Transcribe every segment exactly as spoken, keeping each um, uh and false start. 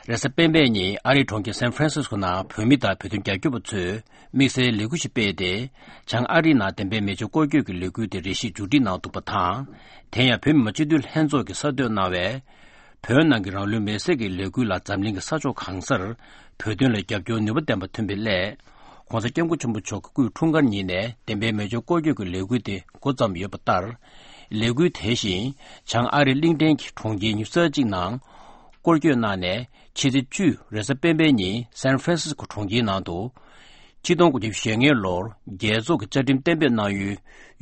རེས་གཟའ་སྤེན་པའི་ཉིན་ཨ་རིའི་གྲོང་ཁྱེར་སན་ཧྥ་རན་སིས་ཀོ་ནང་བོད་མི་དང་བོད་དོན་རྒྱབ་སྐྱོར་བ་ཚོས་དམིགས་བསལ་ལས་འགུལ་ཞིག་སྤེལ་ཏེ། བྱང་ཨ་རིའི་ནང་བདེན་པའི་མེ་མཆོད་སྐོར་སྐྱོད་ཀྱི་ལས་འགུལ་དེ་རེ་ཞིག་མཇུག་སྒྲིལ་གནང་འདུག་པ་དང་། དེ་ཡང་བོད་མི་མང་སྤྱི་འཐུས་ལྷན་ཚོགས་ཀྱིས་གསར་གཏོད་གནང་བའི་བོད་ནང་གི་རང་ལུས་མེར་སྲེག་གི་ལས་འགུལ་ལ་འཛམ་གླིང་གི་ས་ཕྱོགས་གང་སར་བོད་དོན་ལ་རྒྱབ་སྐྱོར་ནུས་པ་ལྡན་པ་ཐོན་པའི་སླད། ྋགོང་ས་ྋསྐྱབས་མགོན་ཆེན་པོ་མཆོག་གི་སྐུའི་འཁྲུངས་སྐར་ཉིན་ནས་བདེན་པའི་མེ་མཆོད་སྐོར་སྐྱོད་ཀྱི་ལས་འགུལ་དེ་འགོ་བརྩམས་ཡོད་པ་ལྟར། ལས་འགུལ་དེ་བཞིན་བྱང་ཨ་རིའི་གླིང་ཕྲན་གྱི་གྲོང་ཁྱེར་ཉི་ཤུ་རྩ་གཅིག་ནང་སྐོར་སྐྱོད་གནང་ནས། ཕྱི་ཚེས་བཅུ་རེས་གཟའ་སྤེན་པའི་ཉིན་སན་ཧྥ་རན་སིས་ཀོ་གྲོང་ཁྱེར་ནང་དུ། ཆིག་སྟོང་དགུ་བརྒྱ་ཞེ་ལྔའི་ལོར་རྒྱལ་ཚོགས་ཀྱི་བཅའ་ཁྲིམས་གཏན་འབེབས་གནང་ཡུལ་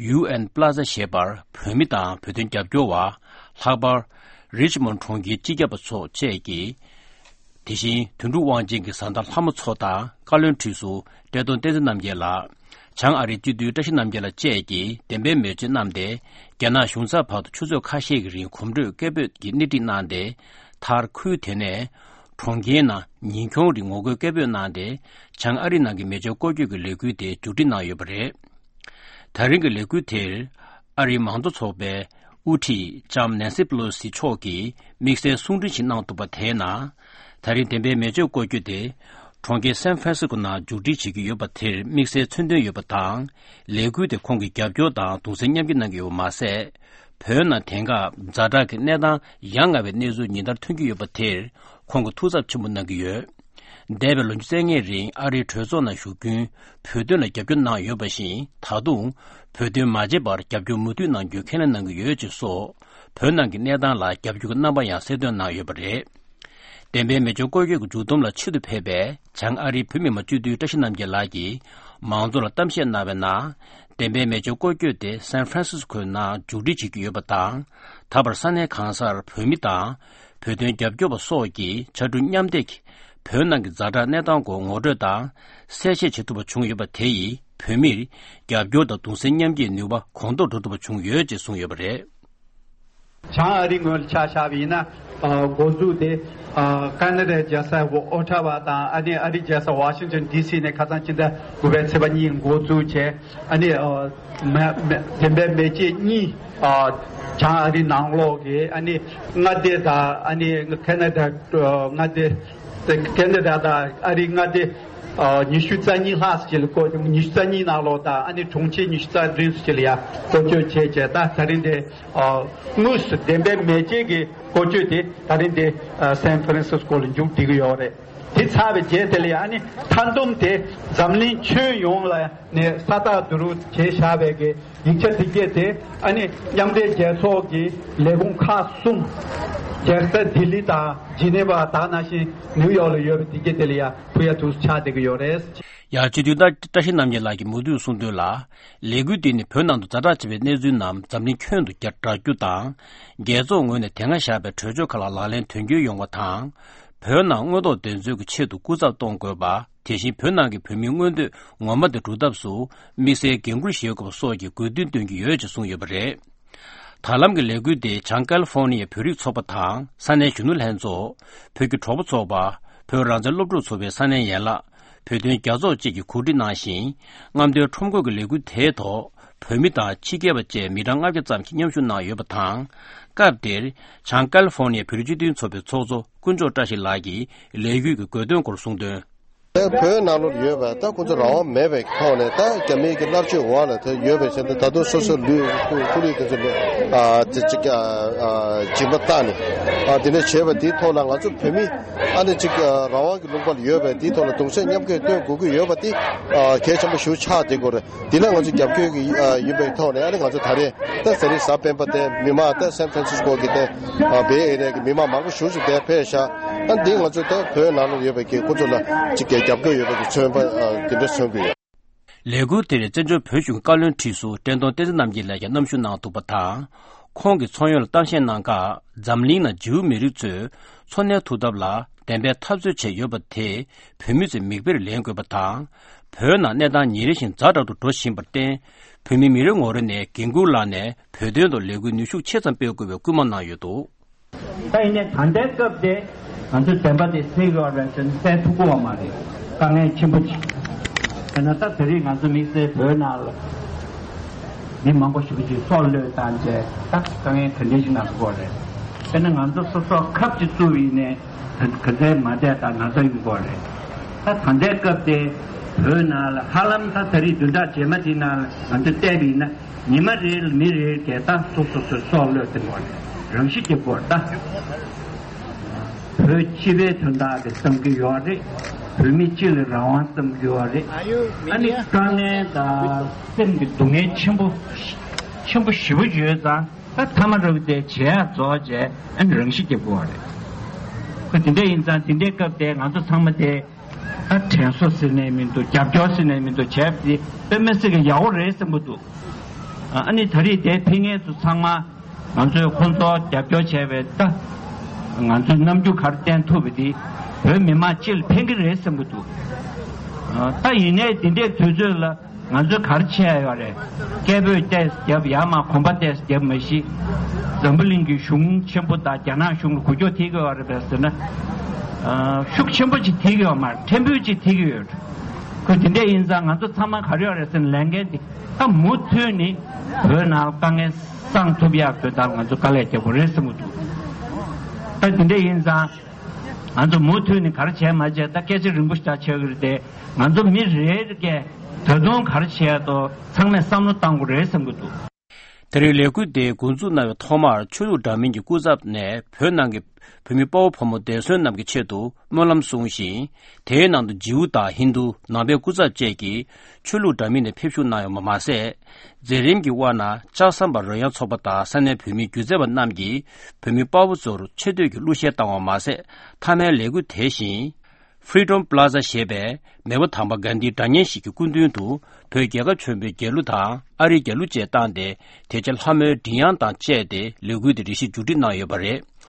ཡུ་ཨེན་པ་ལ་ཛ་ཞེས་པར་བོད་མི་དང་བོད་དོན་རྒྱབ་སྐྱོར་བ། ལྷག་པར་རི་ཆི་མོན་གྲོང་ཁྱེར་སྤྱི་ཁྱབ་པ་ཚོ་བཅས་ཀྱིས། དེ་བཞིན་དོན་གྲུབ་དབང་ཆེན་གྱི་བཟའ་ཟླ་ལྷ་མོ་མཚོ་དང་བཀའ་བློན་ཁྲི་ཟུར་བཀྲས་མཐོང་བསྟན་འཛིན་རྣམ་རྒྱལ་ལགས། བྱང་ཨ་རིའི་སྤྱི་འཐུས་བཀྲ་ཤིས་རྣམ་རྒྱལ་ལགས་བཅས་ཀྱིས་བདེན་པའི་མེ་མཆོད་བསྣམས་ཏེ། རྒྱ་ནག་གཞུང་ཚབ་བར་དུ་ཆུ་ཚོད་ཁ་ཤས་ཀྱི་རིང་གོམ་བགྲོད་སྐད་འབོད་ཀྱིས་སྣེ་ཁྲིད་གནང་སྟེ། མཐར་ཁུལ་དེ་ནས་གྲོང་ཁྱེར་ནང་ཉིན་ཁྱོན་རིང་ངོ་རྒོལ་སྐད་འབོད་གནང་སྟེ། བྱང་ཨ་རི་ནང་གི་མེ་མཆོད་སྐོར་སྐྱོད་ཀྱི་ལས་འགུལ་དེ་མཇུག་སྒྲིལ་གནང་ཡོད་པ་རེད། ད་རིང་གི་ལས་འགུལ་དེར་ཨ་རིའི་མང་གཙོ་ཚོགས་པའི་དབུ་ཁྲིད་ལྕམ་ནན་སི་པེ་ལོ་སི་མཆོག་གིས་དམིགས་བསལ་གསུང་འཕྲིན་ཞིག་གནང་འདུག་པ་དེའི་ནང་། ད་རིང་བདེན་པའི་མེ་མཆོད་སྐོར་སྐྱོད་དེ་གྲོང་ཁྱེར་སན་ཧྥ་རན་སི་ཀོ་ནང་མཇུག་སྒྲིལ་བྱེད་ཀྱི་ཡོད་པ་དེར་དམིགས་བསལ་མཚོན་དོན་ཡོད་པ་དང་། ལས་འགུལ་དེ་ཁོང་གིས་རྒྱབ་སྐྱོར་དང་གདུང་སེམས་མཉམ་སྐྱེད་གནང་གི་ཡོད་པ་མ་ཟད། བོད་ནང་དེང་སྐབས་ཛ་དྲག་གི་གནས་སྟངས་ཡ་ང་བའི་གནས་ཚུལ་ཉིན་ལྟར་ཐོན་གྱི་ཡོད་པ་དེར་ཁོང་གིས་ཐུགས་འཚབ་ཆེན་པོ་གནང་གི་ཡོད། འདས་པའི་ལོ་ཉི་ཤུ་རྩ་ལྔའི་རིང་ཨ་རིའི་གྲོས་ཚོགས་ནང་ཞུགས་རྒྱུན་བོད་དོན་ལ་རྒྱབ་སྐྱོར་གནང་ཡོད་པ་བཞིན། ད་དུང་བོད་དོན་མ་བརྗེད་པར་རྒྱབ་སྐྱོར་མུ་མཐུད་གནང་རྒྱུའི་ཁས་ལེན་གནང་གི་ཡོད་ཅེས་སོགས། བོད་ནང་གི་གནས་སྟངས་ལ་རྒྱབ་སྐྱོར་གྱི་རྣམ་པ་ཡང་གསལ་སྟོན་གནང་ཡོད་པ་རེད། བདེན་པའི་མེ་མཆོད་སྐོར་སྐྱོད་ཀྱི་མཇུག་བསྡོམས་ལ་ཆེད་དུ་ཕེབས་པའི་བྱང་ཨ་རིའི་བོད་མི་མང་སྤྱི་འཐུས་བཀྲ་ཤིས་རྣམ་རྒྱལ་ལགས་ཀྱིས། མང་ཚོགས་ལ་གཏམ་བཤད་གནང་བའི་ནང་། བདེན་པའི་མེ་མཆོད་སྐོར་སྐྱོད་དེ་སན་ཧྥ་རན་སིས་ཀོའི་ནང་མཇུག་སྒྲིལ་བྱེད་ཀྱི་ཡོད་པ་དང་། ད་བར་ས་གནས་གང་སར་བོད་མི་དང་། བོད་དོན་རྒྱབ་སྐྱོར་བ་སོགས་ཀྱིས་ཕྱར་གྲུ་མཉམ་འདེགས་ཀྱིས་བོད་ནང་གི་ཛ་དྲག་གནས་སྟངས་སྐོར་ངོ་སྤྲོད་དང་། གསལ་བཤད་བྱེད་ཐུབ་པ་བྱུང་ཡོད་པ་དེ་ཡིས་བོད་མིར་རྒྱབ་སྐྱོར་དང་གདུང་སེམས་མཉམ་སྐྱེད་ནུས་པ་གོང་མཐོར་འགྲོ་ཐུབ་པ་བྱུང་ཡོད་ཅེས་གསུངས་ཡོད་པ་རེད། བྱང་ཨ་རིའི་ངོས་ལ་ཆ་བཞག་པ་ཡིན་ན། ཨ་འགོ་འཛུགས་དེ་ཨ་ཁ་ན་ཌའི་རྒྱལ་ས་ཨོ་ཊ་ཝ་དང་། ཨ་ནི་ཨ་རིའི་རྒྱལ་ས་ཝ་ཤིང་ཊོན་ཌི་སི་ནས་ཁ་སང་ཕྱི་ཟླ་དགུ་པའི་ཚེས་པ་གཉིས་འགོ་འཛུགས་བྱས། ཨ་ནི་ཨ་མེ་མེ་བདེན་པའི་མེ་ལྕེ་གཉིས་ཨ་བྱང་ཨ་རིའི་ནང་ལོགས་ཀྱི་ཨ་ནི་མངའ་སྡེ་དང་། ཨ་ནི་ཁ་ན་ཌ་མངའ་སྡེ། ཁ་ན་ཌ་དང་ཨ་རིའི་མངའ་སྡེ་ཨ་ཉི་ཤུ་རྩ་གཉིས་ལྷག་ཙམ་ཅིག་ལ་བསྐོར། ཉི་ཤུ་རྩ་གཉིས་ནང་ལོགས་དང་། ཨ་ནི་གྲོང་ཁྱེར་ཉི་ཤུ་རྩ་བདུན་ཙམ་ཅིག་ལ་ཡ་བསྐོར་སྐྱོད་བྱས་བྱས། ད་ད་རིང་དེ་ཨ་དངོས་སུ་བདེན་པའི་མེ་ལྕེ་གི་བསྐོར་སྐྱོད་དེ་ད་རིང་དེ་ཨ་སན་ཧྥ་རན་སིས་ཀོ་ལ་མཇུག་བསྒྲིལ་གྱི་ཡོད་རེད། དེ་ཚར་བའི་རྗེས་དེ་ལ་ཡ་ཨ་ནི་མཐའ་བསྡོམས་དེ་འཛམ་གླིང་ཁྱོན་ཡོངས་ལ་ནས་ས་རྟགས་བསྡུ་རུབ་བྱས་བཞག་པའི་གི་ཡིག་ཆ་དེ་གྱད་དེ། ཨ་ནི་མཉམ་འབྲེལ་རྒྱལ་ཚོགས་ཀྱི་ལས་ཁུངས་ཁག་གསུམ། རྒྱལ་ས་ལྡི་ལི་དང་ཇི་ནི་ཝ། ད་ནང་བཞིན་ནིའུ་ཡོག་ལ་ཡོད་པ་དེ་གྱད་དེ་ལ་ཡ་ཕུལ་ཡ་ཐུགས་སུ་ཆགས་བསྡད་ཀྱི་ཡོད་རེད། ཡང་སྤྱི་འཐུས་བཀྲ་ཤིས་རྣམ་རྒྱལ་ལགས་ཀྱིས་མུ་མཐུད་གསུངས་དོན་ལ། ལས་འགུལ་འདི་ནི་བོད་ནང་དུ་ཛ་དྲག་ཆེ་བའི་གནས་ཚུལ་རྣམས་འཛམ་གླིང་ཁྱོན་དུ་བསྒྲགས་རྒྱུ་དང་། རྒྱལ་ཚོགས་ངོས་ནས་དེ་སྔ་བཞག་པའི་གྲོས་ཆོད་ཁག་ལ་ལག་ལེན་དོན་འཁྱོལ་ཡོང་བ་དང་། བོད་ནང་དངོས་ཐོག་བདེན་འཚོལ་གྱི་ཆེད་དུ་སྐུ་ཚབ་གཏོང་དགོས་པ། དེ་བཞིན་བོད་ནང་གི་བོད་མིའི་མངོན་འདོད་ངོ་མ་དེ་སྒྲུབ་ཐབས་སུ་དམིགས་བསལ་འགན་འཁུར་བཞེས་དགོས་པ་སོགས་ཀྱི་དགོས་འདུན་བཏོན་གྱི་ཡོད་ཅེས་གསུངས་ཡོད་པ་རེད། ད་ལམ་གྱི་ལས་འགུལ་དེ་བྱང་ཀལ་ཧྥོར་ནི་ཡའི་བོད་རིགས་ཚོགས་པ་དང་ས་གནས་གཞོན་ནུ་ལྷན་ཚོགས། བོད་ཀྱི་གྲོགས་པོ་ཚོགས་པ། བོད་རང་བཙན་སློབ་ཕྲུག་ཚོགས་པའི་ས་གནས་ཡན་ལག་བོད་དོན་རྒྱ་ཚོགས་བཅས་ཀྱིས་གོ་སྒྲིག་གནང་ཞིང་། རྔམ་སྟོན་ཁྲོམ་སྐོར་གྱི་ལས་འགུལ་དེའི་ཐོག་བོད་མི་དང་ཕྱི་རྒྱལ་བ་བཅས་མི་གྲངས་ལྔ་བརྒྱ་ཙམ་གྱིས་མཉམ་ཞུགས་གནང་ཡོད་པ་དང་། སྐབས་དེར་བྱང་ཀལ་ཧྥོར་ནི་ཡའི་བོད་རིགས་སྤྱི་མཐུན་ཚོགས་པའི་ཚོགས་གཙོ་དཀོན་མཆོག་བཀྲ་ཤིས་ལགས་ཀྱིས་ལས་འགུལ་གྱི་དགོས་དོན་སྐོར་གསུངས་དོན། ད་བོད་ནང་ལོགས་ཡོད་པ་ད་ཁོང་ཚོ་རང་དབང་མེད་པའི་ཐོག་ནས་ད་རྒྱ་མིའི་གི་མནར་གཅོད་འོག་ལ་ད་ཡོད་པའི་ཆ་ནས། ད་དུང་སོ་སོའི་ལུས་སྐུ་ལུས་དེ་ཚོ་ལ་ཨ་ཅིག་ཅིག་ཨ་ཨ་སྦྱིན་པ་བཏང་ནས། ཨ་དེ་འདྲ་བྱས་པ་དེའི་ཐོག་ལ་ང་ཚོ་བོད་མི་ཨ་ནི་ཅིག་ཨ་རང་དབང་གི་ལུང་པ་ལ་ཡོད་པའི་དེའི་ཐོག་ལ་གདུང་སེམས་མཉམ་སྐྱེད་སྟོན་དགོས་ཀྱི་ཡོད་པ་དེ་ཨ་གལ་ཆེན་པོ་ཞིག་ཆགས་བསྡད་ཀྱི་ཡོད་རེད། དེ་ལ་ང་ཚོ་རྒྱབ་སྐྱོར་གྱི་ཨ་ཡིན་པའི་ཐོག་ནས། ཨ་ནི་ང་ཚོ་ད་རེས་ད་ཟ་རིང་གཟའ་སྤེན་པ་དེ་མི་མང་ད་སན་ཧྥ་རན་སིས་ཀོ་གི་དེ་ཨ་བེ་ཨེ་རི་ཡ་གི་མི་མང་མང་པོ་ཞེ་པོ་ཅིག་དེ་ཕེབས་ཤག་ཨ་འདི་ང་ཚོ་ད་བོད་ནང་ལ་ཡོད་པའི་གི་ཁོ་ཚོ་ལ་ཅིག་གི་རྒྱབ་སྐྱོར་ཡོད་པའི་གི་མཚོན་པ་ཨ་དེ་འདྲ་མཚོན་གྱི་ཡོད། ལས་འགུལ་དེར་བཙན་བྱོལ་བོད་གཞུང་བཀའ་བློན་ཁྲི་ཟུར་བཀྲས་མཐོང་བསྟན་འཛིན་རྣམ་རྒྱལ་ལགས་ཀྱང་མཉམ་ཞུགས་གནང་འདུག་པ་དང་། ཁོང་གིས་ཚོགས་ཡོངས་ལ་གཏམ་བཤད་གནང་སྐབས། འཛམ་གླིང་ནང་ཇིའུ་མི་རིགས་ཚོས་འཚོ་གནས་ཐུབ་ཐབས་ལ་བདེན་པའི་འཐབ་རྩོད་བྱས་ཡོད་པ་དེ་བོད་མི་ཚོས་མིག་དཔེར་ལེན་དགོས་པ་དང་། བོད་ནང་གནས་སྟངས་ཉིན་རེ་བཞིན་ཛ་དྲག་ཏུ་འགྲོ་བཞིན་པར་བརྟེན། བོད་མི་མི་རེ་ངོ་རེ་ནས་འགན་འཁུར་བླངས་ནས་བོད་དོན་ཐོག་ལས་འགུལ་ནུས་ཤུགས་ཆེ་ཙམ་སྤེལ་དགོས་པའི་སྐུལ་མ་གནང་ཡོད་འདུག་ད་ཡིན་ནའི་ད་ལྟའི་སྐབས་དེ་ང་ཚོས་བདེན་པ་དེ་སེལ་དགོས་པ་རེད་ཟེར་ནས་སེལ་ཐུབ་ཀྱི་ཡོད་མ་རེད། དཀའ་ངལ་ཆེན་པོ་ཅིག་དཔེར་ན་ད་དེ་རིང་ང་ཚོ་དམིགས་བསལ་བོད་ནང་ལ་མི་མང་པོ་ཞིག་གིས་སྲོག་བློས་བཏང་བྱས། ད་དཀའ་ངལ་ག་འདྲ་ཞིག་ནང་ཐུག་པ་རེད། དཔེར་ན་ང་ཚོ་སོ་སོ་ཁབ་ཅིག་བཙུགས་ཡིན་ནའི་ག་ཚད་མ་བསྡད་ད་ན་ཚ་ཡོང་གི་རེད། ད་ད་ལྟའི་སྐབས་དེ་བོད་ནང་ལ་ཧ་ལམ་ད་ད་རེས་བདུན་ཕྲག་རྗེས་མ་དེ་ནང་ལ་ང་ཚོ་བལྟས་པ་ཡིན་ན་ཉི་མ་རེ་ལ་མི་རེ་གས་ད་སོ་སོ་སོ་སྲོག་བློས་ཏེ་འགྲོ་རེད། རང་ཤི་རྒྱག་གི་རེད་ད། བོད་སྤྱི་པའི་དོན་དག་གི་བསམ་གྱི་ཡོད་རེད། བོད་མི་སྤྱི་ལ་རང་དབང་བསམ་གྱི་ཡོད་རེད། ཨ་ནི་དཀའ་ངལ་དང་སེམས་ཀྱི་སྡུག་བསྔལ་ཆེན་པོ་ཆེན་པོ་ཞེ་པོ་ཡོད་ཙང་ད་མཐའ་མ་རུ་དེ་བྱེད་ཡག་རྫོགས་བྱས་ཨ་ནི་རང་ཤི་རྒྱག་གི་རེད། ཁོ་དེ་འདྲ་ཡིན་ཙང་དེ་འདྲའི་སྐབས་དེ་ང་ཚོ་ཚང་མ་དེ་ད་དྲན་གསོ་ཟེར་ནས་མི་འདུག་རྒྱབ་སྐྱོར་ཟེར་ནས་མི་འདུག་བྱས་པ་དེ་དཔེ་མི་སྲིད་ཀྱི་ཡག་པོ་རེད་བསམ་གྱི་འདུག་ཨ་ནི་ད་རེས་དེ་ཕེབས་མཁན་ཚོ་ཚང་མ། ང་ཚོས་ཁོང་ཚོ་རྒྱབ་སྐྱོར་བྱས་པའི་ད་ང་ཚོས་རྣམ་འགྱུར་ག་རེ་བསྟན་ཐུབ་པ་དེ་བོད་མི་མང་སྤྱི་ལ་ཕན་གྱི་རེད་བསམ་གྱི་འདུག་ད་ཡིན་ནའི་འདི་འདྲའི་དུས་ཚོད་ལ་ང་ཚོས་ག་རེ་བྱས་ཡོད་རེད། སྐད་འབོད་ཏོག་ཙམ་བརྒྱབ་ཡ་མ་གོམ་པ་ཏོག་ཙམ་བརྒྱབ་མ་གཞི་འཛམ་བུ་གླིང་གི་གཞུང་ཆེན་པོ་དང་རྒྱ་ནག་གཞུང་ལ་འགུལ་སྐྱོད་ཐེབས་ཀྱི་ཡོད་རེད་པས་ཟེར་ན། ཤུགས་ཆེན་པོ་ཅིག་ཐེབས་ཀྱི་ཡོད་མ་རེད། ཕྲན་བུ་ཅིག་ཐེབས་ཀྱི་ཡོད། ཁོ་དེ་འདྲ་ཡིན་ཙང་ང་ཚོ་ཚང་མ་ག་རེ་ཡོད་རེད་ཟེར་ན་ལས་འགན་དེ་ད་མུ་མཐུད་ནས་བོད་ནང་དཀའ་ངལ་སངས་ཐུབ་ཡག་དོན་དག་ང་ཚོ་དཀའ་ལས་རྒྱག་དགོས་རེད་བསམ་གྱི་འདུག་ད་དེ་འདྲ་ཡིན་ཙང་ང་ཚོ་མུ་མཐུད་ནས་ག་རེ་བྱས་མ་བྱས་ད་སྐད་ཆ་རིང་པོ་ཞིག་ཆགས་ཀྱི་རེད་དེ། ང་ཚོ་མི་རེ་རེ་གས་ད་དུང་ག་རེ་བྱས་དོ་ཚང་མས་བསམ་བློ་བཏང་དགོས་རེད་བསམ་གྱི་འདུག་ད་རེས་ལས་འགུལ་དེ་འགོ་འཛུགས་གནང་བའི་ཐོག་མར་ཆོས་ལུགས་འདྲ་མིན་གྱི་སྐུ་ཚབ་ནས་བོད་ནང་གི་བོད་མི་དཔའ་བོ་ཕོ་མོ་འདས་གསོན་རྣམས་ཀྱི་ཆེད་དུ་སྨོན་ལམ་གསུངས་ཤིང་། དེའི་ནང་དུ་ཇིའུ་དང་ཧིན་རྡུ་ནང་པའི་སྐུ་ཚབ་བཅས་ཀྱིས་ཆོས་ལུགས་འདྲ་མིན་ནས་ཕེབས་ཞུགས་གནང་ཡོད་པ་མ་ཟད། མཛད་རིམ་གྱི་དབང་ནང་ལྕགས་ཟམ་པ་རོལ་དབྱངས་ཚོགས་པ་དང་ས་གནས་བོད་མི་སྒྱུ་རྩལ་བ་རྣམས་ཀྱིས་བོད་མི་དཔའ་བོ་ཚོར་ཆེ་བསྟོད་ཀྱི་གླུ་གཞས་བཏང་བ་མ་ཟད། མཐའ་མའི་ལས་འགུལ་དེ་བཞིན། Freedom Plaza ཞེས་པའི་མེས་པོ་དམ་པ་གྷན་དྷིའི་སྒྲ་སྙན་ཞིག་གི་སྐུ་མདུན་དུ་བོད་རྒྱལ་ཁབ་ཆེན་པོའི་རྒྱལ་གླུ་དང་ཨ་རིའི་རྒྱལ་གླུ་བཅས་བཏང་སྟེ། དེ་རྗེས་ལྷ་མོའི་མགྲིན་དབྱངས་དང་བཅས་ཏེ་ལས་འགུལ་དེ་རེ་ཞིག་མཇུག་སྒྲིལ་གནང་ཡོད་པ་རེད།